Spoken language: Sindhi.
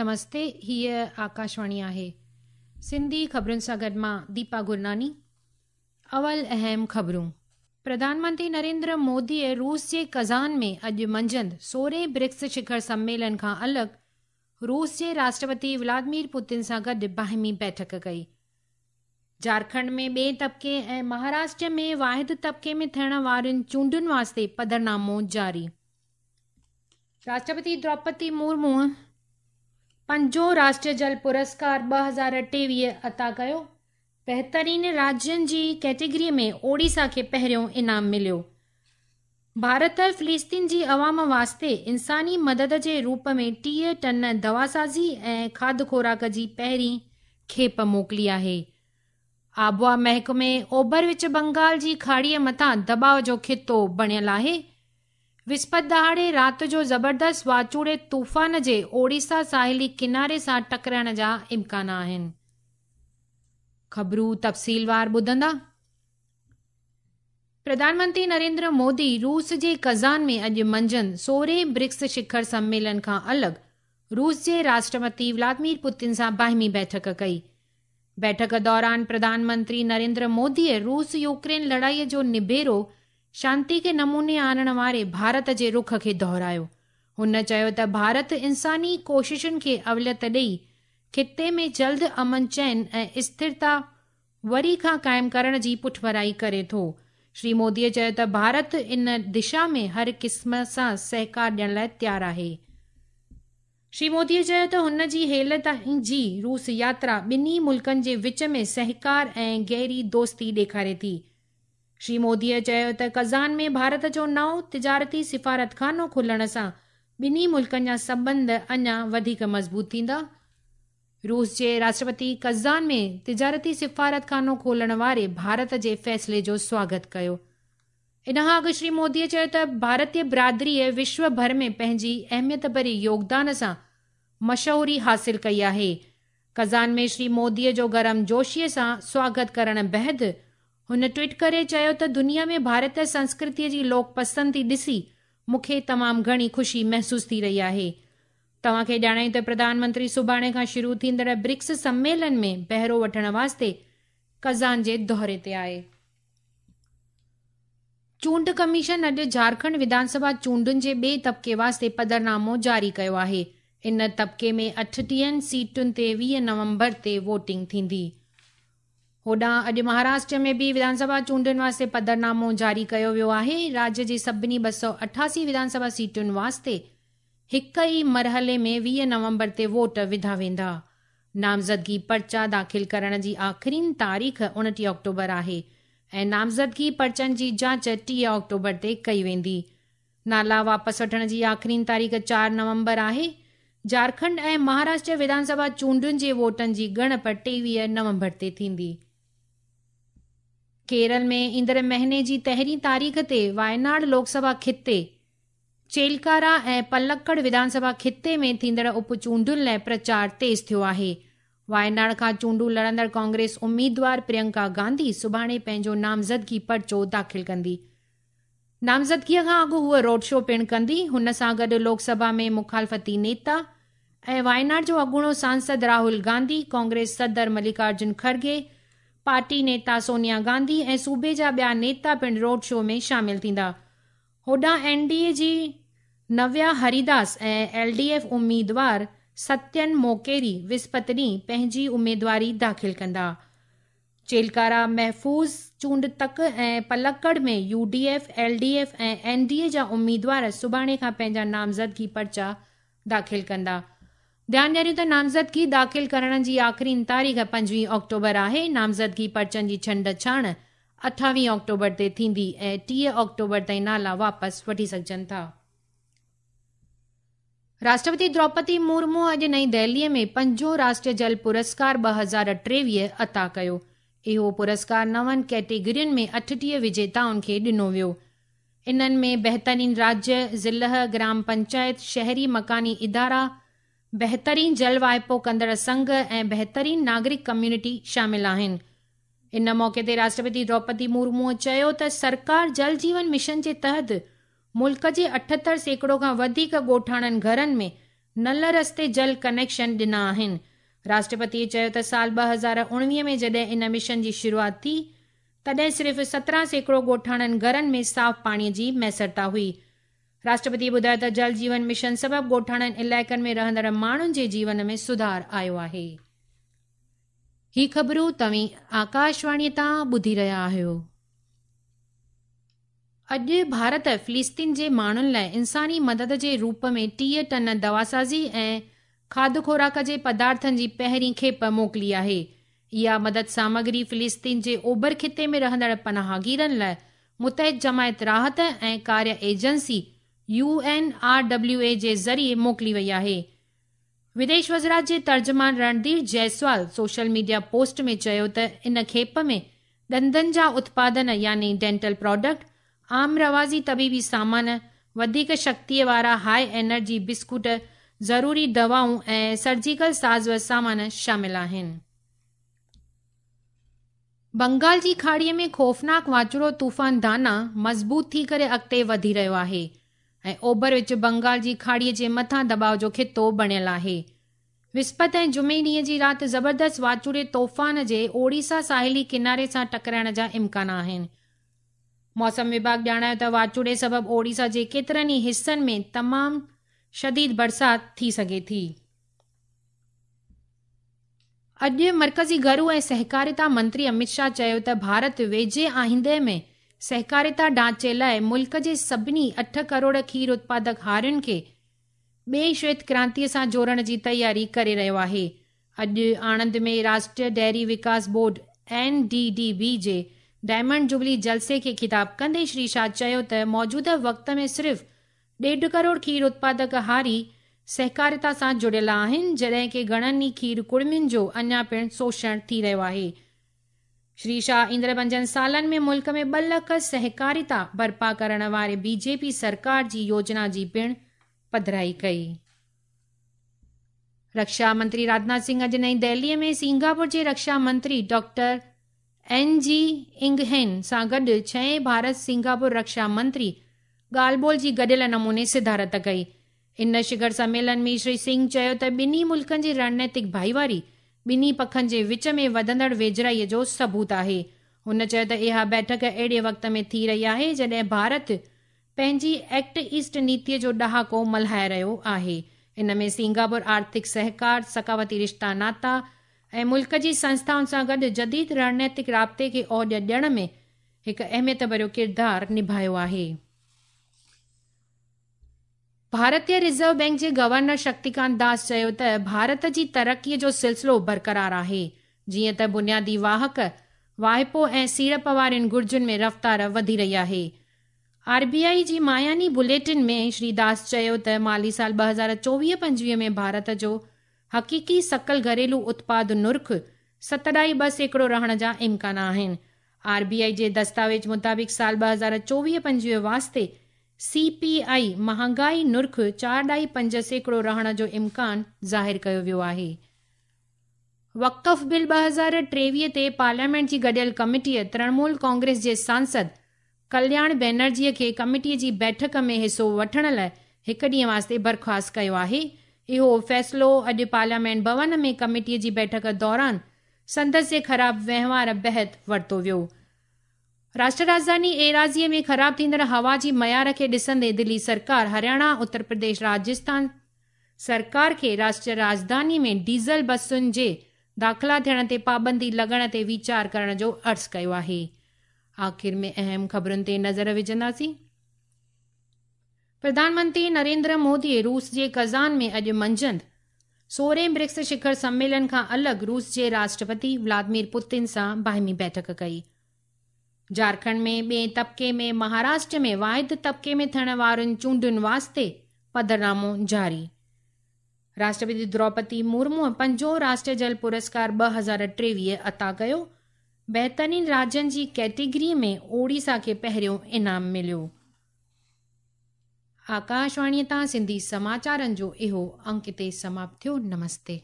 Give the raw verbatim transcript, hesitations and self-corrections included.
نمستي، هيء آڪاشواڻي آهي. سنڌي خبرن سان گڏ مان ديپا گرناني. اول اهم خبرون. پرڌان منتري نريندر موديء روس جي ڪزان ۾ اڄ منجهند سورهين برڪس شکر سميلن کان الڳ روس جي راشٽرپتي ولاديمير پوتن سان گڏ باهمي بيٺڪ ڪئي. جهارکنڊ ۾ ٻئي طبقي ۽ مهاراشٽر ۾ واحد طبقي ۾ ٿيڻ وارين چونڊن واسطي پڌرنامو جاري. راشٽرپتي دروپدي مرمو پنجون راشٽريه جل پرسڪار ٻه هزار ٽيويهه عطا ڪيو. بهترين راجين جي ڪيٽيگري ۾ اوڙيسا کي پهريون انعام مليو. ڀارت فلسطين جي عوام واسطي انساني مدد جي روپ ۾ ٽيهه ٽن دواسازي ۽ کاڌ خوراڪ جي پهرين کيپ موڪلي آهي. آبهوا محڪمي اوڀر وچ بنگال جي کاڙيءَ مٿان دٻاءُ جو خطو بڻيل آهي. وسپت ڏهاڙي رات جو زبردست واچوڙي طوفان جي اوڙيسا ساحلي ڪناري سان ٽڪرائڻ جا امڪان آهن. خبرون تفصيلوار ٻڌندا. پرڌان منتري نريندر مودي روس جي ڪزان ۾ اڄ منجهند سورهين برڪس شکر سميلن کان الڳ روس جي راشٽرپتي ولاديمير پوتن سان باهمي بيٺڪ ڪئي. بيٺڪ دوران پرڌان منتري نريندر موديء روس يوڪرين لڙائيءَ جو نبيرو شانتي کي نموني آڻڻ واري ڀارت جي رخ کي دهرايو. هن چيو ته ڀارت انساني ڪوششن کي اوليت ڏئي خطي ۾ جلد امن چين ۽ اسٿرتا وري کان قائم ڪرڻ جي پٺڀرائي ڪري ٿو. شري موديءَ چيو ته ڀارت ان دشا ۾ هر قسم سان سهڪار ڏيڻ لاءِ تيار آهي. شري موديءَ چيو ته هن جي هيل تائين جي روس ياترا ٻنهي ملڪن جي وچ ۾ سهڪار ۽ گهري دوستي ڏيکاري ٿي. شري موديءَ چيو ته ڪزان ۾ ڀارت جو نئون تجارتي سفارتخانو کلڻ سان ٻنهي ملڪن جا سنٻنڌ اڃا وڌيڪ مضبوط ٿيندا. روس جي راشٽرپتي ڪزان ۾ تجارتي سفارتخانو کولڻ واري ڀارت جي فيصلي جو سواگت ڪيو. ان کان اڳ شري موديءَ چيو ته ڀارتيه برادريءَ وشو ڀر ۾ پنهنجي اهميت ڀري يوگدان سان مشهوري حاصل ڪئي آهي. ڪزان ۾ شري موديءَ جو گرم جوشيءَ سان سواگت ڪرڻ بعد هن ٽوئيٽ ڪري چيو ته دنيا ۾ ڀارتيه سنسڪرتيءَ جي لوڪ پسندي ڏسي مون کي تمام گهڻي خوشي محسوس ٿي رهي آهي. توهان کي ڄاڻايون ته پرڌان منتري سڀاڻي کان شروع ٿيندڙ برڪس سميلن ۾ بهرو وٺڻ واسطي ڪزان جي دوري تي آهي. چونڊ ڪميشن اڄ جهارکنڊ وڌان سڀا چونڊن جي ٻئي طبقي واسطي پڌرنامو جاري ڪيو آهي. ان طبقي ۾ اٺٽيهن سيٽن تي ويهه نومبر تي ووٽنگ ٿيندي. هوڏانهن اڄ مهاراشٽر ۾ به وڌان سڀا چونڊن واسطي پڌرنامو جاري ڪيو ويو آهي. راجيه جي سڀني ٻه سؤ اٺاسي وڌان سڀا سيٽن واسطي هڪ ئي مرحلي ۾ ويهه نومبر تي ووٽ وڌا ويندا. نامزدگي پرچا داخل ڪرڻ جي آخرين تاريخ اڻٽيهه آڪٽوبر آهي ۽ نامزدگي پرچن جي جاچ ٽيهه آڪٽوبر تي ڪئي ويندي. نالا واپس وٺڻ جي آخرين تاريخ چار نومبر آهي. جهارکنڊ ۽ مهاراشٽر وڌان سڀا چونڊن جي ووٽن جي ڳڻپ ٽيويهه نومبر تي ٿيندي. ڪيرل ۾ ايندڙ مهيني جي پهرين تاريخ تي وايناڊ لوڪ سڀا خطي، چيلڪارا ۽ پلڪڙ وڌان سڀا خطي ۾ ٿيندڙ اپ چونڊن لاءِ پرچار تيز ٿيو آهي. وايناڊ کان چونڊون لڙندڙ ڪانگريس اميدوار پريانڪا گانڌي سڀاڻي پنهنجو نامزدگي پرچو داخل ڪندي. نامزدگيءَ کان اڳ هوءَ روڊ شو پڻ ڪندي. هن سان گڏ لوڪ سڀا ۾ مخالفتي نيتا ۽ وايناڊ جو اڳوڻو سانسد راهول گانڌي، ڪانگريس صدر ملڪارجن کرگي، پارٽي نيتا سونيا گانڌي ۽ صوبي جا ٻيا نيتا پڻ روڊ شو ۾ شامل ٿيندا. هوڏانهن اين ڊي اي جي نويا هريداس ۽ ايل ڊي ايف اميدوار ستين موڪيري وسپت ڏينهن پنهنجي اميدواري داخل ڪندا. چيلڪارا محفوظ چونڊ تڪ ۽ پلڪڙ ۾ U D F, L D F ۽ N D اي جا اميدوار سڀاڻي کان پنهنجا نامزدگي پرچا داخل ڪندا. ڌيان ڏياريون ته نامزدگي داخل ڪرڻ جي آخرين تاريخ پنجويهه آڪٽوبر آهي. نامزدگي پرچن جي ڇنڊ ڇاڻ اٺاويهه آڪٽوبر تي ٿيندي ۽ ٽيهه آڪٽوبر تائين نالا واپس وٺي سگهجن ٿا. راشٽرپتي دروپدي مرمو اڄ نئين دهليءَ ۾ پنجون راشٽريه جل پرسڪار ٻه هزار ٽيويهه عطا ڪيو. اهو پرسڪار نون ڪيٽيگرين ۾ اٺٽيهه وجيتائن کي ڏنو ويو. انهن ۾ بهترين راجيه، ضلع، گرام پنچائت، شهري مڪاني ادارا، بهترين جل واهپو ڪندڙ سنگهه ۽ بهترين ناگرڪ ڪميونٽي شامل آهن. ان موقعي تي راشٽرپتي دروپدي مرموءَ چيو ته سرڪار جل جيون مشن جي تحت ملڪ جي اٺهتر سيڪڙو کان وڌيڪ ڳوٺاڻن گهرن ۾ نل رستي جل ڪنيڪشن ڏنا آهن. راشٽرپتيء چيو ته سال ٻه هزار اڻويهه ۾ جڏهن ان مشن جي شروعات ٿي، تڏهن صرف سترهن سيڪڙو ڳوٺاڻن گهرن ۾ صاف پاڻيء جي ميسرتا هئي. راشٽرپتيء ٻڌايو ته جل جيون مشن سبب ڳوٺاڻن علائقن ۾ رهندڙ ماڻهن جي جيون ۾ سڌار آيو آهي. هي خبرون توهين آڪاشواڻيء تان ٻڌي رهيا آهيو. اڄ ڀارت فلسطين جي ماڻهن لاءِ انساني مدد جي روپ ۾ ٽيهه ٽن دواسازي ۽ کاڌ خوراڪ جي پدارٿن جي پهرين کيپ موڪلي آهي. اها مدد سامگري فلسطين جي اوڀر خطي ۾ رهندڙ پناهگيرن لاءِ متحد جماعت راحت ۽ ڪاريه agency U N R W A جي ذريعي موڪلي وئي آهي. وديش وزارت جي ترجمان Randhir Jaiswal social media post ۾ چيو ته ان کيپ ۾ ڏندن جا اتپادن يعني ڊينٽل پراڊڪٽ، عام رواجي طبيبي سامان، وڌيڪ شڪتيءَ وارا هاءِ انرجي بسڪوٽ، ضروري دوائون ۽ سرجيڪل ساز و سامان شامل آهن. بنگال جي کاڙيءَ ۾ خوفناڪ واچوڙو طوفان دانا مضبوط ٿي ڪري اڳتي وڌي رهيو آهي ۽ اوڀر وچ بنگال جي کاڙيءَ جي مٿان دٻاءُ جو خطو بڻيل آهي. وسپت ۽ جمعي ڏينهن جي رات زبردست واچوڙي طوفان جي اوڙيسا ساحلي ڪناري سان ٽڪرائڻ جا امڪان آهن. موسم وڀاڳ ڄاڻايو ته واچوڙي سبب اوڙيسا جي ڪيترن ئي حصن ۾ تمام شديد برسات ٿي سگهي ٿي. اڄ مرڪزي گهرو ۽ سهڪاريتا منتري امت شاهه چيو ته ڀارت ويجهي آئيندي ۾ سهڪاريتا ڍانچي لاءِ ملڪ جي سڀني اٺ ڪروڙ کير اتپادڪ هارين کي ٻئي شويت ڪرانتيءَ سان جوڙڻ جي تياري ڪري رهيو آهي. اڄ Anand ۾ Rashtriya dairy Vikas board N D D B جي ڊائمنڊ جوبلي جلسي کي خطاب ڪندي شري شاهه چيو ته موجوده وقت ۾ صرف ڏيڍ ڪروڙ کير اتپادڪ هاري سهڪاريتا سان جڙيل آهن، جڏهن ڪه گهڻن ئي کير ڪڙمين جو اڃا پڻ شوشڻ ٿي رهيو آهي. شري شاهه ايندڙ پنجن سالن ۾ ملڪ ۾ ٻه لک سهڪاريتا برپا ڪرڻ واري بي جي پي سرڪار جي يوجنا جي پڻ پڌرائي ڪئي. رڪشا منتري راجناٿ سنگهه اڄ نئين دهليءَ ۾ سنگاپور جي رڪشا منتري ڊاڪٽر اين جي انگهين سان گڏ ڇهين ڀارت سنگاپور رڪشا منتري ڳالهه ٻولهه جي گڏيل نموني صدارت ڪئي. ان شکر سميلن ۾ شري سنگهه چيو ته ٻنهي ملڪن جي رڻنيتڪ ڀائيواري ٻنهي پکن جي وچ ۾ وڌندڙ ويجهڙائيءَ جو ثبوت آهي. هن چيو ته اها بيٺڪ اهڙي وقت ۾ ٿي رهي آهي جڏهن ڀارت پنهنجي ايڪٽ ايسٽ نيتيءَ جو ڏهاڪو ملهائي رهيو آهي. ان ۾ سنگاپور آرٿڪ سهڪار، ثقافتي رشتا ناتا ۽ ملڪ جي سنسٿائن سان گڏ جديد رڻنيتڪ رابطي کي اوڄ ڏيڻ ۾ هڪ اهميت ڀريو ڪردار نڀايو آهي. ڀارتيه رزرو بينڪ جي گورنر شڪتيڪانت داس چيو ته ڀارت جي ترقيءَ جو سلسلو برقرار آهي، جيئن ته بنيادي واهڪ، واهپو ۽ سيڙپ وارين گهرجن ۾ رفتار وڌي رهي آهي. آر بي I جي ماهياني بليٽن ۾ شري داس چيو ته مالي سال ٻه هزار چوويهه پنجويهه ۾ ڀارت جو حقيقي سڪل گهريلو اتپاد نرخ ست ڏهائي ٻه سيڪڙو رهڻ جا امڪان آهن. آر بي I جي دستاويز مطابق سال ٻه هزار چوويهه پنجويهه واسطي سي پي I مهانگائي نرخ چار ڏهائي پنج سيڪڙو رهڻ جو امڪان ظاهر ڪيو ويو آهي. وقف بل ٻه هزار ٽيويهه تي پارليامينٽ جي گڏيل ڪميٽيءَ ترڻمول ڪانگريس جي سانسد ڪلياڻ بينرجيءَ کي ڪميٽيءَ جي بيٺڪ ۾ حصو وٺڻ لاءِ هڪ ڏينهن واسطي برخاست ڪيو آهي. اهو فيصلو اڄ پارليامينٽ ڀون ۾ ڪميٽيءَ جي بيٺڪ دوران سندس جي خراب وهنوار بحد ورتو ويو. راشٽر راڄڌاني ايراضيءَ ۾ خراب ٿيندڙ هوا جي معيار کي ڏسندي دلي سرڪار هرياڻا، اتر پرديش، راجسٿان سرڪار کي راشٽر راڄڌاني ۾ ڊيزل بسن جي داخلا ٿيڻ تي پابندي لڳڻ تي ويچار ڪرڻ جو عرض ڪيو آهي. آخر ۾ اهم خبرن تي نظر وجهنداسين. پرڌان منتري نريندر موديءَ روس جي ڪزان ۾ اڄ منجهند سورهين برڪس شکر سميلن کان الڳ روس جي راشٽرپتي ولاديمير پوتن سان باهمي بيٺڪ ڪئي. جهارکنڊ ۾ ٻئي طبقي ۾ مهاراشٽر ۾ واحد طبقي ۾ ٿيڻ وارن چونڊن واسطي پڌرنامو جاري. راشٽرپتي دروپدي مرمو پنجون راشٽريه جل پرسڪار ٻه هزار ٽيويهه عطا ڪيو. بهترين راجين جي ڪيٽيگري ۾ اوڙيسا کي پهريون انعام مليو. آڪاشواڻيءَ تان سنڌي سماچارن جو اهو انڪ هتي سماپت ٿيو. نمستي.